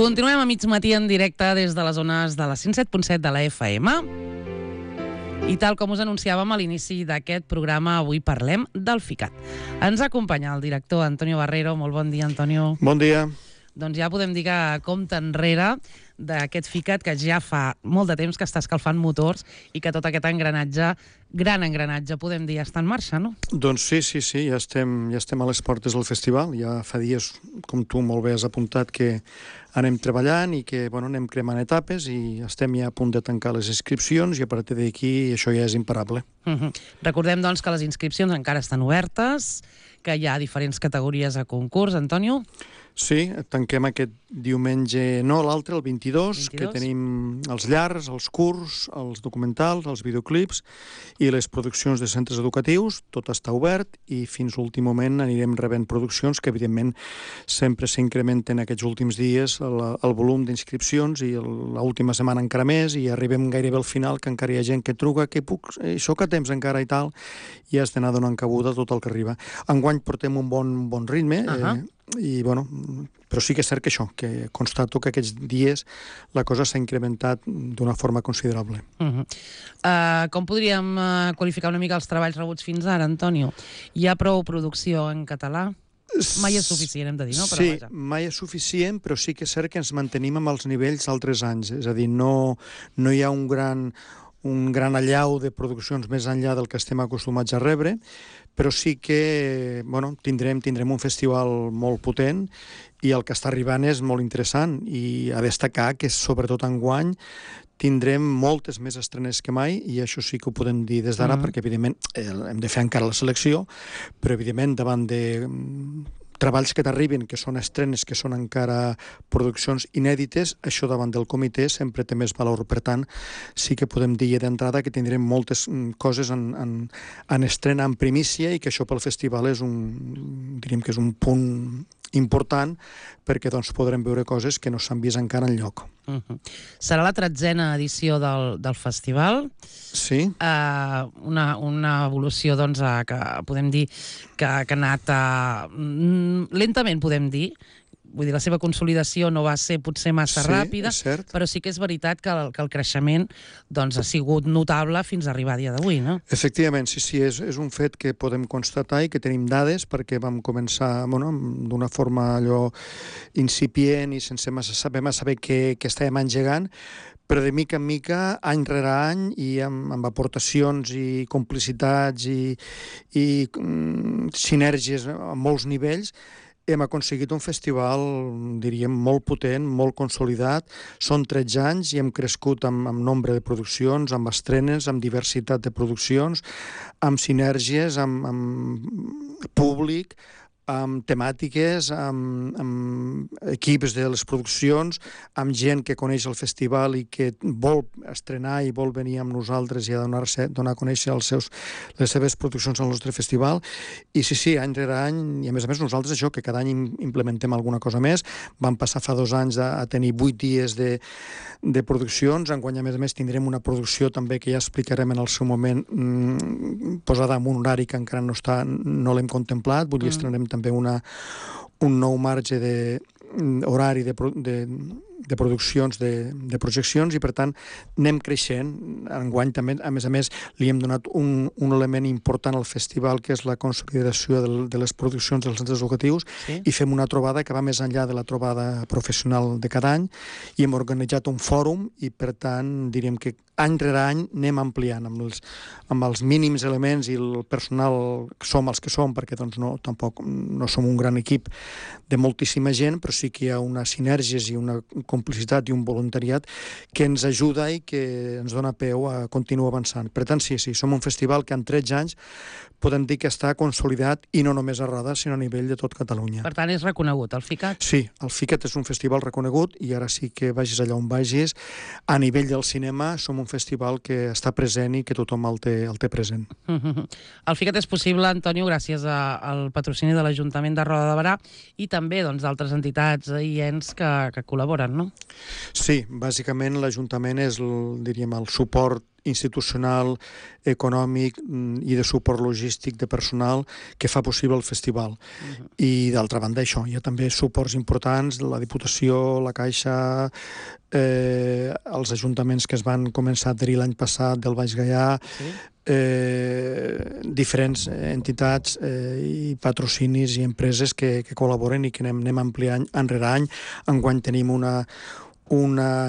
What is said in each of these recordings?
Continuem a mig matí en directe des de les zones de la 107.7 de la FM. I tal com us anunciàvem a l'inici d'aquest programa, avui parlem del FICAT. Ens acompanya el director Antonio Barrero. Molt bon dia, Antonio. Bon dia. Doncs ja podem dir que compte enrere d'aquest FICAT que ja fa molt de temps que està escalfant motors i que tot aquest engranatge, gran engranatge, podem dir, està en marxa, no? Doncs sí, ja estem a les portes del festival. Ja fa dies, com tu molt bé has apuntat, que anem treballant i que anem cremant etapes i estem ja a punt de tancar les inscripcions i a partir d'aquí això ja és imparable. Recordem, doncs, que les inscripcions encara estan obertes, que hi ha diferents categories a concurs, Antonio. Sí, tanquem aquest diumenge, no l'altre, el 22, que tenim els llargs, els curts, els documentals, els videoclips i les produccions de centres educatius. Tot està obert i fins a l'últim moment anirem rebent produccions que, evidentment, sempre s'incrementen aquests últims dies el volum d'inscripcions i l'última setmana encara més i arribem gairebé al final, que encara hi ha gent que truca, que soc a temps encara i tal, i has d'anar donant cabuda a tot el que arriba. Enguany portem un bon ritme, però sí que és cert que això, que constato que aquests dies la cosa s'ha incrementat d'una forma considerable. Com podríem qualificar una mica els treballs rebuts fins ara, Antonio? Hi ha prou producció en català? Mai és suficient, hem de dir, no? Sí, mai és suficient, però sí que és cert que ens mantenim amb els nivells d'altres anys. És a dir, no hi ha un gran allau de produccions més enllà del que estem acostumats a rebre, però sí que tindrem un festival molt potent i el que està arribant és molt interessant i a destacar que sobretot enguany tindrem moltes més estrenes que mai i això sí que ho podem dir des d'ara perquè evidentment hem de fer encara la selecció, però evidentment davant de treballs que t'arribin, que són estrenes, que són encara produccions inèdites, això davant del comitè sempre té més valor. Per tant, sí que podem dir d'entrada que tindrem moltes coses en estrena, en primícia, i que això pel festival diríem que és un punt important perquè podrem veure coses que no s'han vist encara enlloc. Serà la 13a edició del festival. Sí. Una evolució que podem dir que ha anat lentament, podem dir. Vull dir, la seva consolidació no va ser potser massa ràpida, però sí que és veritat que el creixement ha sigut notable fins a arribar a dia d'avui, no? Efectivament, sí, és un fet que podem constatar i que tenim dades perquè vam començar d'una forma allò incipient i sense massa saber què estàvem engegant, però de mica en mica, any rere any, i amb aportacions i complicitats i sinergies a molts nivells, hem aconseguit un festival, diríem, molt potent, molt consolidat. Són 13 anys i hem crescut amb nombre de produccions, amb estrenes, amb diversitat de produccions, amb sinergies, amb públic, amb temàtiques, amb equips de les produccions, amb gent que coneix el festival i que vol estrenar i vol venir amb nosaltres i a donar a conèixer les seves produccions al nostre festival. I sí, any rere any, i a més nosaltres això, que cada any implementem alguna cosa més. Vam passar fa 2 anys a tenir 8 dies de produccions. Enguany, a més tindrem una producció també que ja explicarem en el seu moment, posada en un horari que encara no l'hem contemplat. Vull dir, estrenarem també un nou marge horari de produccions, de projeccions, i per tant anem creixent. Enguany també, a més, li hem donat un element important al festival, que és la consolidació de les produccions dels centres educatius, i fem una trobada que va més enllà de la trobada professional de cada any, i hem organitzat un fòrum i per tant diríem que any rere any anem ampliant amb els mínims elements i el personal som els que som, perquè tampoc no som un gran equip de moltíssima gent, però sí que hi ha unes sinergies i una complicitat i un voluntariat que ens ajuda i que ens dona peu a continuar avançant. Per tant, sí, som un festival que en 13 anys podem dir que està consolidat, i no només a Roda, sinó a nivell de tot Catalunya. Per tant, és reconegut, el FICAT? Sí, el FICAT és un festival reconegut, i ara sí que vagis allà on vagis, a nivell del cinema som un festival que està present i que tothom el té present. El FICAT és possible, Antonio, gràcies al patrocini de l'Ajuntament de Roda de Berà i també d'altres entitats i ens que col·laboren, no? Sí, bàsicament l'Ajuntament és, diríem, el suport institucional, econòmic i de suport logístic de personal que fa possible el festival. I d'altra banda això, hi ha també suports importants de la Diputació, la Caixa, els ajuntaments que es van començar a adherir l'any passat del Baix Gaià, diferents entitats i patrocinis i empreses que col·laboren i que anem ampliant any rere any. Enguany tenim una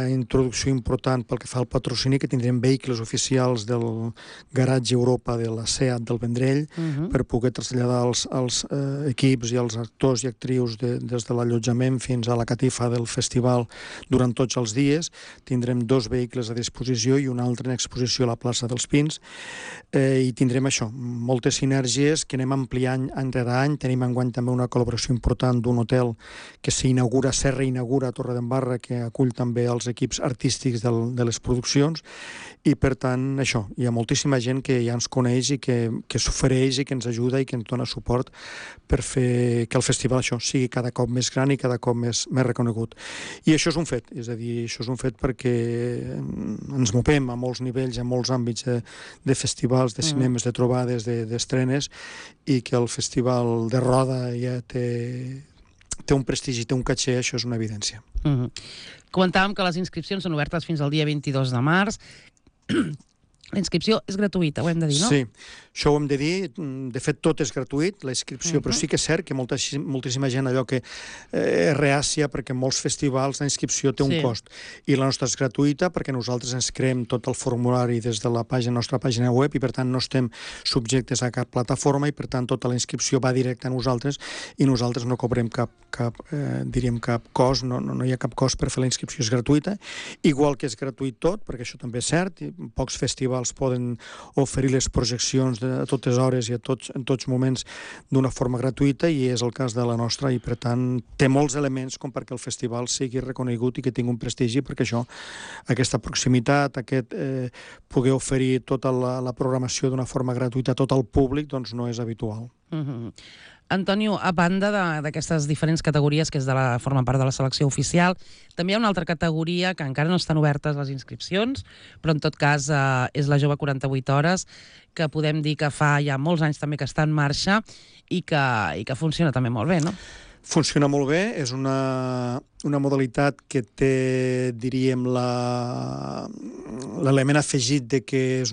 introducció important pel que fa al patrocini, que tindrem vehicles oficials del garatge Europa de la SEAT del Vendrell per poder traslladar els equips i els actors i actrius des de l'allotjament fins a la catifa del festival durant tots els dies. Tindrem 2 vehicles a disposició i un altre en exposició a la plaça dels Pins, i tindrem això, moltes sinergies que anem ampliant any rere any. Tenim enguany també una col·laboració important d'un hotel que se reinaugura a Torredembarra, que acull també els equips artístics de les produccions, i per tant això, hi ha moltíssima gent que ja ens coneix i que s'ofereix i que ens ajuda i que ens dona suport per fer que el festival això sigui cada cop més gran i cada cop més reconegut. I això és un fet, és a dir, això és un fet perquè ens movem a molts nivells, a molts àmbits de festivals, de cinemes, de trobades, d'estrenes, i que el festival de Roda ja té un prestigi, té un caché, això és una evidència. Comentàvem que les inscripcions són obertes fins al dia 22 de març. La inscripció és gratuïta, ho hem de dir, no? Sí, això ho hem de dir. De fet, tot és gratuït, la inscripció, però sí que és cert que moltíssima gent allò que és reàcia, perquè en molts festivals la inscripció té un cost. I la nostra és gratuïta perquè nosaltres ens creem tot el formulari des de la nostra pàgina web i, per tant, no estem subjectes a cap plataforma i, per tant, tota la inscripció va directa a nosaltres i nosaltres no cobrem cap cost, no hi ha cap cost per fer la inscripció, és gratuïta. Igual que és gratuït tot, perquè això també és cert, pocs festivals poden oferir les projeccions a totes hores i en tots moments d'una forma gratuïta, i és el cas de la nostra, i per tant té molts elements com perquè el festival sigui reconegut i que tingui un prestigi, perquè això, aquesta proximitat, poder oferir tota la programació d'una forma gratuïta a tot el públic, doncs no és habitual. Antonio, a banda d'aquestes diferents categories que formen part de la selecció oficial, també hi ha una altra categoria que encara no estan obertes les inscripcions, però en tot cas és la Jove 48 Hores, que podem dir que fa ja molts anys també que està en marxa i que funciona també molt bé, no? Funciona molt bé, és una modalitat que té, diríem, l'element afegit de que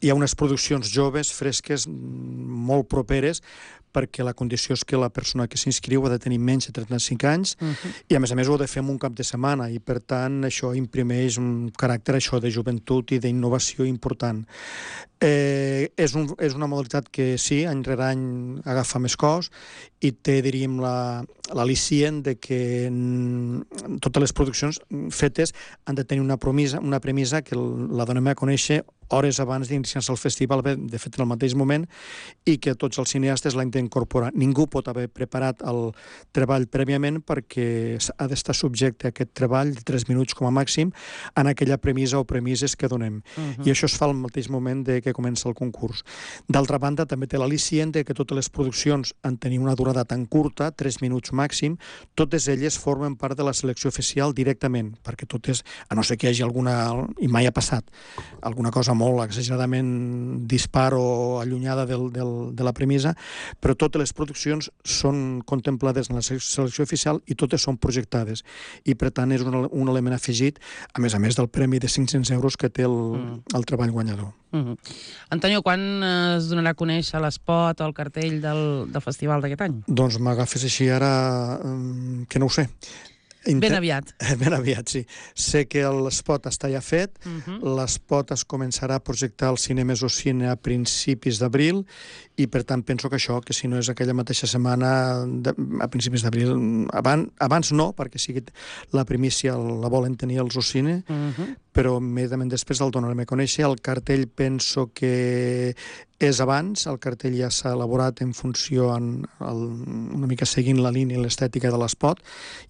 hi ha unes produccions joves, fresques, molt properes, perquè la condició és que la persona que s'inscriu ha de tenir menys de 35 anys i, a més, ho ha de fer en un cap de setmana, i, per tant, això imprimeix un caràcter de joventut i d'innovació important. És una modalitat que, sí, any rere any agafa més cos i té, diríem, l'al·licient de que totes les produccions fetes han de tenir una premissa que la donem a conèixer hores abans d'iniciar-se el festival, de fet en el mateix moment, i que tots els cineastes l'han d'incorporar. Ningú pot haver preparat el treball prèviament perquè ha d'estar subjecte a aquest treball de 3 minuts com a màxim en aquella premissa o premisses que donem. I això es fa al mateix moment que comença el concurs. D'altra banda, també té l'al·licient que totes les produccions han de tenir una durada tan curta, 3 minuts màxim, totes elles formen part de la selecció oficial directament, perquè totes, a no ser que hi hagi alguna, i mai ha passat, alguna cosa molt exageradament dispar o allunyada de la premissa, però totes les produccions són contemplades en la selecció oficial i totes són projectades, i per tant és un element afegit, a més del premi de 500 euros que té el treball guanyador. Antonio, quan es donarà a conèixer l'espot o el cartell del festival d'aquest any? Doncs m'agafes així ara que no ho sé. Ben aviat. Ben aviat, sí. Sé que l'espot està ja fet, l'espot es començarà a projectar al Cinemes Ocine a principis d'abril, i per tant penso que això, que si no és aquella mateixa setmana, a principis d'abril, abans no, perquè sigui la primícia la volen tenir els Ocine, però immediatament després el donarem a conèixer. El cartell penso que és abans, el cartell ja s'ha elaborat en funció, una mica seguint la línia i l'estètica de l'espot,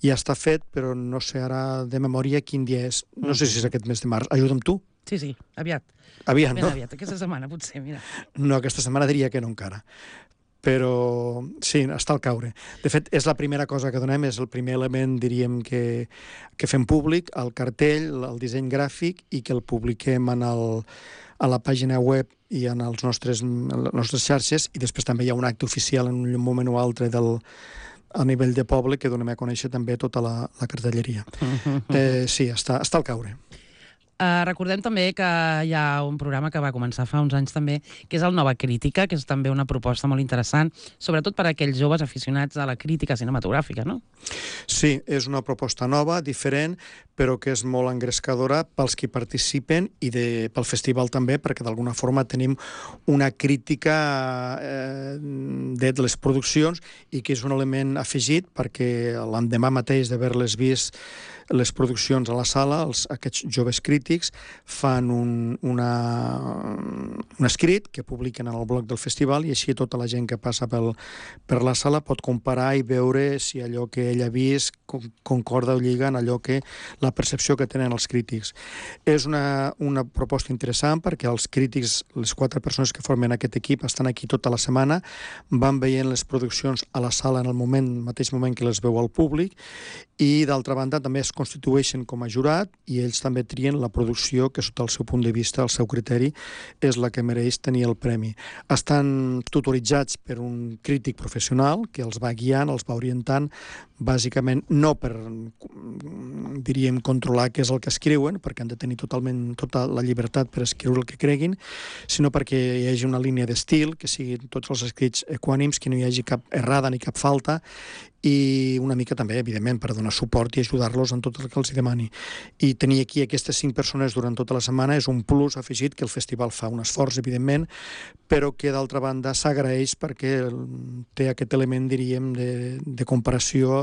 ja està fet, però no sé ara de memòria quin dia és. No sé si és aquest mes de març. Ajuda'm tu. Sí, aviat. Aviat, no? Ben aviat, aquesta setmana potser, mira. No, aquesta setmana diria que no encara. però sí, està al caure. De fet, és la primera cosa que donem, és el primer element, diríem, que fem públic, el cartell, el disseny gràfic, i que el publiquem a la pàgina web i en les nostres xarxes, i després també hi ha un acte oficial en un moment o altre a nivell de poble que donem a conèixer també tota la cartelleria. Sí, està al caure. Recordem també que hi ha un programa que va començar fa uns anys també, que és el Nova Crítica, que és també una proposta molt interessant, sobretot per a aquells joves aficionats a la crítica cinematogràfica, no? Sí, és una proposta nova, diferent, però que és molt engrescadora pels que participen i pel festival també, perquè d'alguna forma tenim una crítica de les produccions i que és un element afegit perquè l'endemà mateix d'haver-les vist les produccions a la sala, aquests joves crítics fan un escrit que publiquen en el blog del festival i així tota la gent que passa per la sala pot comparar i veure si allò que ell ha vist concorda o lliga en allò que la percepció que tenen els crítics. És una proposta interessant perquè els crítics, les 4 persones que formen aquest equip, estan aquí tota la setmana, van veient les produccions a la sala en el mateix moment que les veu al públic, i d'altra banda també es constitueixen com a jurat i ells també trien la producció que sota el seu punt de vista, el seu criteri, és la que mereix tenir el premi. Estan tutoritzats per un crític professional que els va guiant, els va orientant, bàsicament no per, diríem, controlar què és el que escriuen, perquè han de tenir totalment tota la llibertat per escriure el que creguin, sinó perquè hi hagi una línia d'estil, que siguin tots els escrits equànims, que no hi hagi cap errada ni cap falta, i una mica també, evidentment, per donar suport i ajudar-los en tot el que els demani. I tenir aquí aquestes 5 persones durant tota la setmana és un plus afegit que el festival fa un esforç, evidentment, però que d'altra banda s'agraeix perquè té aquest element, diríem, de comparació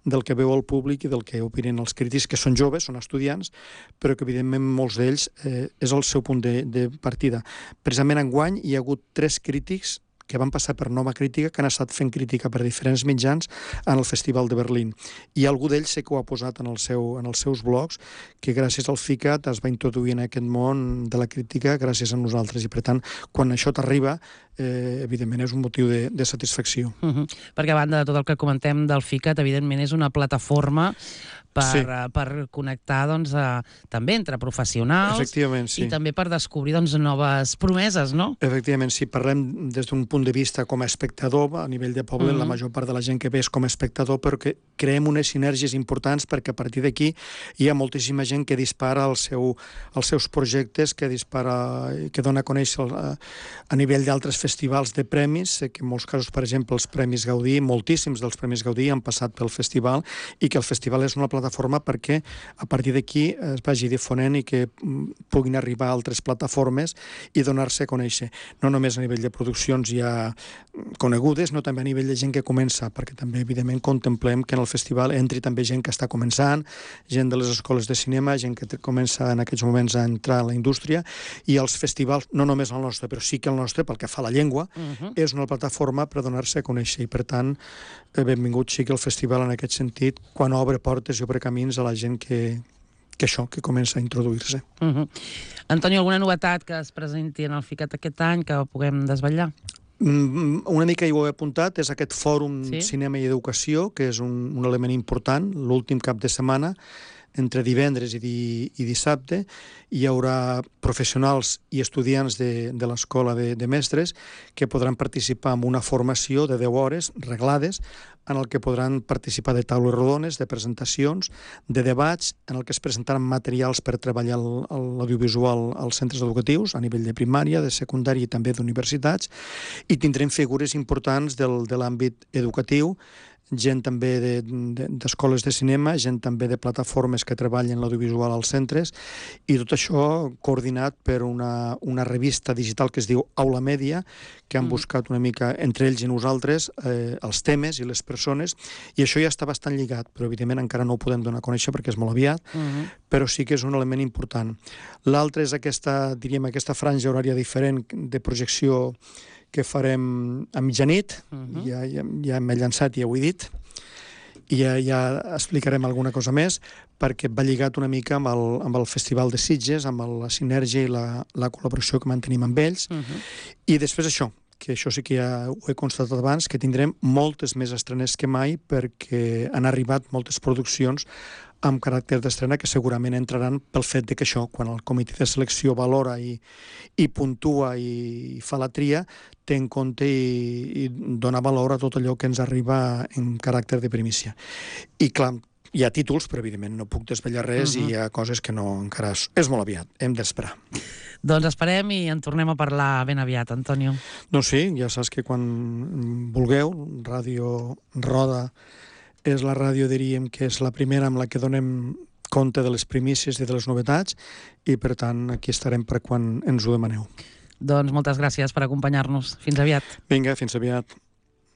del que veu el públic i del que opinen els crítics, que són joves, són estudiants, però que evidentment molts d'ells és el seu punt de partida. Precisament enguany hi ha hagut 3 crítics que van passar per Nova Crítica, que han estat fent crítica per diferents mitjans en el Festival de Berlín. I algú d'ells sé que ho ha posat en els seus blogs, que gràcies al FICAT es va introduir en aquest món de la crítica gràcies a nosaltres. I per tant, quan això t'arriba, evidentment és un motiu de satisfacció. Perquè a banda de tot el que comentem del FICAT, evidentment és una plataforma per connectar també entre professionals i també per descobrir noves promeses, no? Efectivament, si parlem des d'un punt de vista com a espectador, a nivell de poble, la major part de la gent que ve és com a espectador, però que creem unes sinergies importants perquè a partir d'aquí hi ha moltíssima gent que dispara els seus projectes, que dona a conèixer a nivell d'altres festivals de premis, que en molts casos, per exemple, els Premis Gaudí, moltíssims dels Premis Gaudí han passat pel festival, i que el festival és una plataforma perquè a partir d'aquí es vagi difonent i que puguin arribar a altres plataformes i donar-se a conèixer. No només a nivell de produccions ja conegudes, no també a nivell de gent que comença, perquè també, evidentment, contemplem que en el festival entri també gent que està començant, gent de les escoles de cinema, gent que comença en aquests moments a entrar a la indústria, i els festivals, no només el nostre, però sí que el nostre, pel que fa a la llengua, és una plataforma per donar-se a conèixer, i per tant, benvingut sigui el festival en aquest sentit, quan obre portes i obre camins a la gent que comença a introduir-se. Antonio, alguna novetat que es presenti en el FICAT aquest any que puguem desvetllar? Una mica hi ho he apuntat, és aquest fòrum Cinema i Educació, que és un element important, l'últim cap de setmana, entre divendres i dissabte, hi haurà professionals i estudiants de l'Escola de Mestres que podran participar en una formació de 10 hores reglades, en el que podran participar de taules rodones, de presentacions, de debats, en el que es presentaran materials per treballar l'audiovisual als centres educatius, a nivell de primària, de secundària i també d'universitats, i tindrem figures importants de l'àmbit educatiu, gent també d'escoles de cinema, gent també de plataformes que treballen l'audiovisual als centres, i tot això coordinat per una revista digital que es diu Aula Mèdia, que han buscat una mica entre ells i nosaltres els temes i les persones, i això ja està bastant lligat, però evidentment encara no ho podem donar a conèixer perquè és molt aviat, però sí que és un element important. L'altre és aquesta franja horària diferent de projecció que farem a mitjanit, ja m'he llançat i ja ho he dit, i ja explicarem alguna cosa més, perquè va lligat una mica amb el Festival de Sitges, amb la sinergia i la col·laboració que mantenim amb ells, i després això, que això sí que ja ho he constatat abans, que tindrem moltes més estrenes que mai perquè han arribat moltes produccions amb caràcter d'estrena que segurament entraran pel fet de que això, quan el comitè de selecció valora i puntua i fa la tria, té en compte i dona valor a tot allò que ens arriba en caràcter de primícia. I clar, hi ha títols, però evidentment no puc desvetllar res i hi ha coses que no encara... És molt aviat, hem d'esperar. Doncs esperem i en tornem a parlar ben aviat, Antonio. Doncs sí, ja saps que quan vulgueu, Ràdio Roda és la ràdio, diríem, que és la primera amb la que donem compte de les primícies i de les novetats i, per tant, aquí estarem per quan ens ho demaneu. Doncs moltes gràcies per acompanyar-nos. Fins aviat. Vinga, fins aviat.